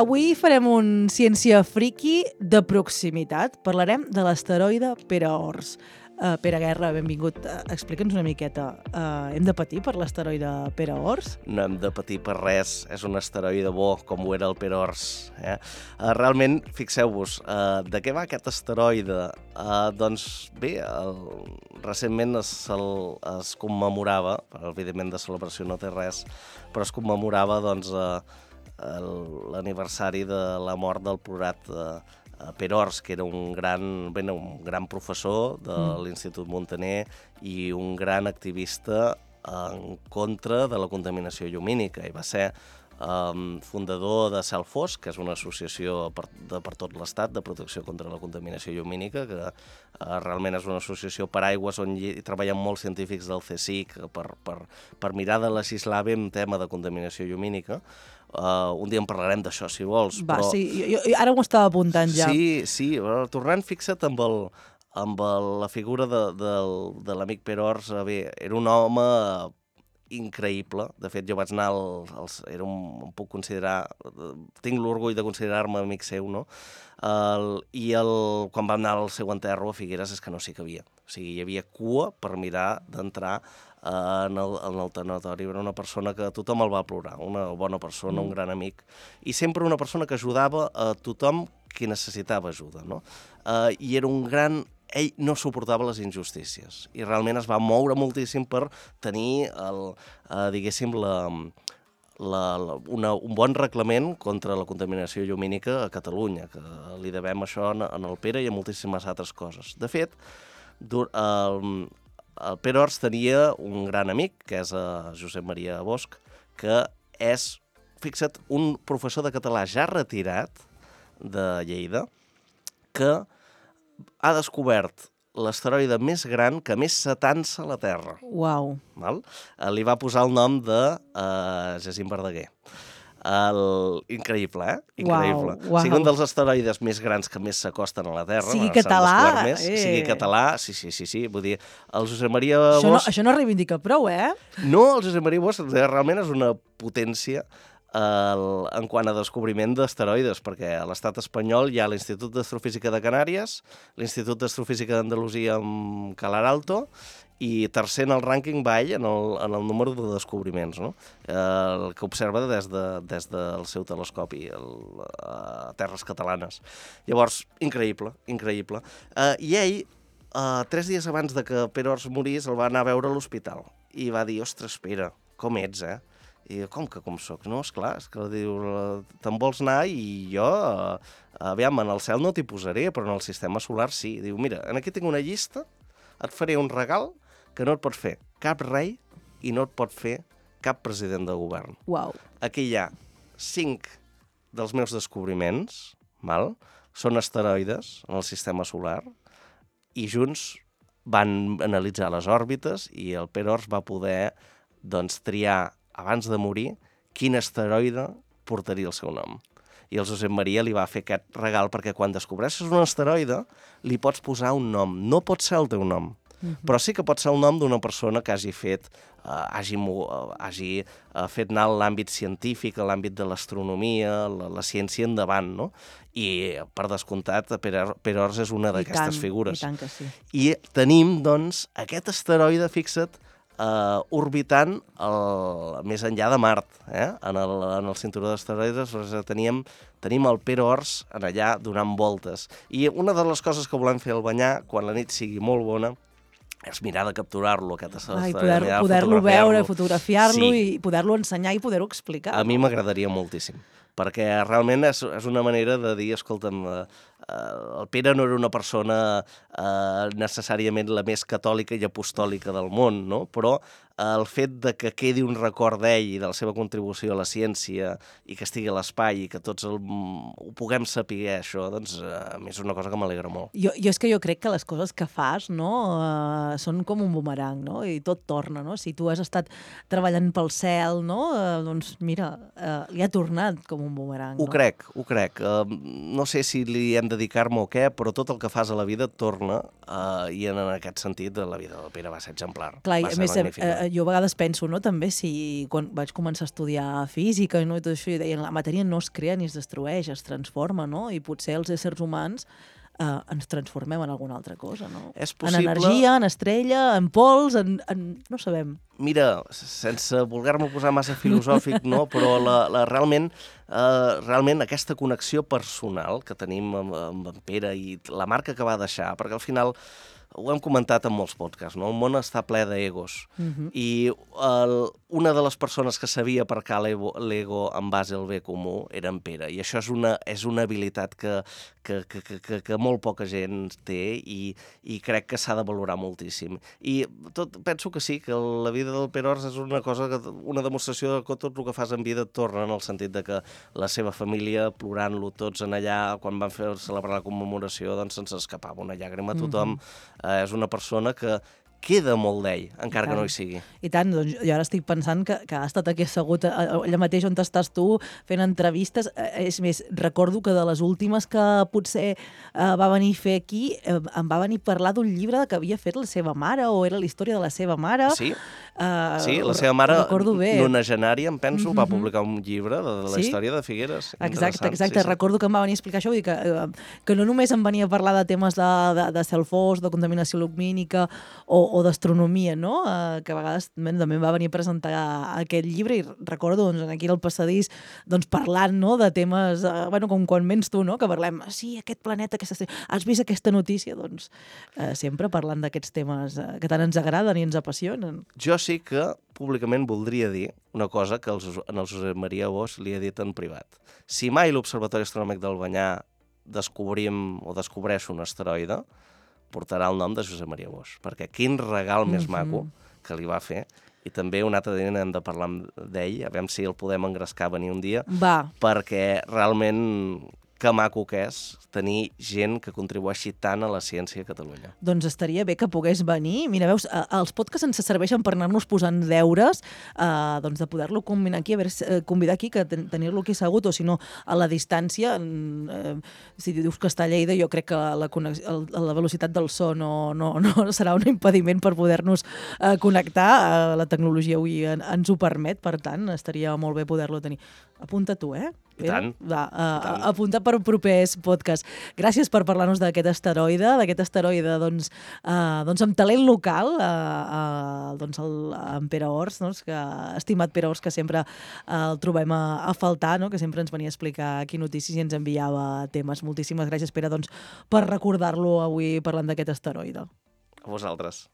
Avui farem un ciència friki de proximitat. Parlarem de l'asteroide Pere-Ors. Pere Guerra, benvingut. Explica'ns una miqueta. Hem de patir per l'asteroide Pere-Ors? No hem de patir per res. És un asteroide bo, com ho era el Pere-Ors. Realment, fixeu-vos, de què va aquest asteroide? Doncs bé, recentment es commemorava, evidentment de celebració no té res, però es commemorava doncs, l'aniversari de la mort del plorat Pere-Ors, que era un gran professor de l'Institut Muntaner i un gran activista en contra de la contaminació llumínica. I va ser fundador de Cel Fosc, que és una associació per tot l'Estat de protecció contra la contaminació llumínica, que realment és una associació per aigües on hi treballen molts científics del CSIC per mirar de legislar bé en tema de contaminació llumínica. Un dia en parlarem d'això, si vols. Va, sí, jo ara m'ho estava apuntant ja. Sí, tornant, fixa't amb la figura de l'amic Pere-Ors. Bé, era un home increïble. De fet, jo vaig anar em puc considerar, tinc l'orgull de considerar-me amic seu, no? Quan vam anar al seu enterro a Figueres és que no s'hi cabia. O sigui, hi havia cua per mirar d'entrar en el tanatori. Era una persona que tothom el va plorar, una bona persona, un gran amic, i sempre una persona que ajudava a tothom qui necessitava ajuda, no? I era un gran... Ell no suportava les injustícies i realment es va moure moltíssim per tenir, diguéssim, un bon reglament contra la contaminació llumínica a Catalunya, que li devem això en el Pere i a moltíssimes altres coses. De fet, el Pere-Ors tenia un gran amic, que és Josep Maria Bosch, que és, fixa't, un professor de català ja retirat de Lleida, que ha descobert l'asteroide més gran que més s'atansa a la Terra. Uau. Li va posar el nom de Jacint Verdaguer. Increïble, Increïble. Uau. Sigui un dels asteroides més grans que més s'acosten a la Terra. Sigui català. Sigui català, sí. Vull dir, el Josep Maria Bosch... Això no reivindica prou, eh? No, el Josep Maria Bosch realment és una potència en quant a descobriment d'asteroides, perquè a l'estat espanyol hi ha l'Institut d'Astrofísica de Canàries, l'Institut d'Astrofísica d'Andalusia amb Calar Alto, i tercer en el rànquing va ell en el número de descobriments, no? El que observa des del seu telescopi a terres catalanes. Llavors, increïble. I ell, 3 dies abans de que Pere-Ors morís, el va anar a veure a l'hospital i va dir, ostres, Pere, com ets, I com soc? No, esclar, és que diu, te'n vols anar i jo, aviam, en el cel no t'hi posaré, però en el sistema solar sí. Diu, mira, aquí tinc una llista, et faré un regal que no et pot fer cap rei i no et pot fer cap president de govern. Uau. Aquí hi ha 5 dels meus descobriments, són asteroides en el sistema solar, i junts van analitzar les òrbites i el Pere-Ors va poder triar abans de morir, quin asteroide portaria el seu nom. I el Josep Maria li va fer aquest regal perquè quan descobreixes un asteroide li pots posar un nom. No pot ser el teu nom, però sí que pot ser el nom d'una persona que hagi fet anar l'àmbit científic, l'àmbit de l'astronomia, la ciència endavant, no? I, per descomptat, Pere-Ors és una d'aquestes figures. I tant que sí. I tenim, doncs, aquest asteroide, fixa't, orbitant més enllà de Mart, en el cinturó d'asteroides. Tenim el Pere-Ors allà donant voltes. I una de les coses que volem fer al banyar, quan la nit sigui molt bona, és mirar de capturar-lo, aquest asteroide. Poder-lo veure, fotografiar-lo i poder-lo ensenyar i poder-ho explicar. A mi m'agradaria moltíssim, perquè realment és una manera de dir, escolta'm, el Pere no era una persona necessàriament la més catòlica i apostòlica del món, no? Però el fet de que quedi un record d'ell i de la seva contribució a la ciència i que estigui a l'espai i que tots ho puguem saber, això, doncs a mi és una cosa que m'alegra molt. Jo és que jo crec que les coses que fas, no, són com un bumerang, no? I tot torna, no? Si tu has estat treballant pel cel, no? Doncs mira, li ha tornat com un bumerang. Ho crec. No sé si li hem de dedicar-me o què, però tot el que fas a la vida et torna, i en aquest sentit la vida del Pere va ser exemplar. Clar, va ser magnífica. jo a vegades penso, no, també, si quan vaig començar a estudiar física, no, i tot això, i deien, la matèria no es crea ni es destrueix, es transforma, no? I potser els éssers humans ens transformem en alguna altra cosa, no? És possible... En energia, en estrella, en pols, no sabem. Mira, sense voler-me posar massa filosòfic, no? Però realment aquesta connexió personal que tenim amb en Pere i la marca que va deixar, perquè al final ho hem comentat en molts podcasts, no? El món està ple d'egos. I una de les persones que sabia aparcar l'ego en base al bé comú era en Pere. I això és una habilitat que molt poca gent té i crec que s'ha de valorar moltíssim. I penso que sí, que la vida del Pere Ors és una demostració que tot el que fas en vida et torna, en el sentit de que la seva família, plorant-lo tots en allà, quan van celebrar la commemoració, doncs se'ns escapava una llàgrima a tothom. És una persona que queda molt d'ell, encara que no hi sigui. I tant, doncs jo ara estic pensant que ha estat aquí assegut allà mateix on estàs tu, fent entrevistes. És més, recordo que de les últimes que potser va venir a fer aquí, em va venir a parlar d'un llibre que havia fet la seva mare, o era la història de la seva mare. Sí, la seva mare, nonagenària, em penso, va publicar un llibre de la història de Figueres. Exacte. Recordo que em va venir a explicar això, vull dir que no només em venia a parlar de temes de Celfos, de contaminació lumínica o d'astronomia, no? Que a vegades també va venir a presentar aquest llibre i recordo aquí al passadís parlant, no?, de temes, com quan vens tu, no?, que parlem, sí, aquest planeta, has vist aquesta notícia? Doncs sempre parlant d'aquests temes que tant ens agraden i ens apassionen. Jo sí que públicament voldria dir una cosa que en el Josep Maria Bosch li he dit en privat. Si mai l'Observatori Astronòmic d'Albanyà descobreix un asteroide, portarà el nom de Josep Maria Bosch, perquè quin regal més maco que li va fer. I també un altre dia hem de parlar d'ell, a veure si el podem engrescar a venir un dia, perquè realment que maco que és tenir gent que contribueixi tant a la ciència a Catalunya. Doncs estaria bé que pogués venir. Mira, veus, els podcasts ens serveixen per anar-nos posant deures, de poder-lo combinar aquí, convidar aquí, que tenir-lo aquí assegut, o si no, a la distància. Si dius que està a Lleida, jo crec que la velocitat del so no serà un impediment per poder-nos connectar. La tecnologia avui ens ho permet, per tant, estaria molt bé poder-lo tenir. Apunta tu, eh? I tant. Apunta per propers podcasts. Gràcies per parlar-nos d'aquest asteroide, amb talent local, en Pere Ors, estimat Pere Ors, que sempre el trobem a faltar, que sempre ens venia a explicar aquí notícies i ens enviava temes. Moltíssimes gràcies, Pere, per recordar-lo avui parlant d'aquest asteroide. A vosaltres.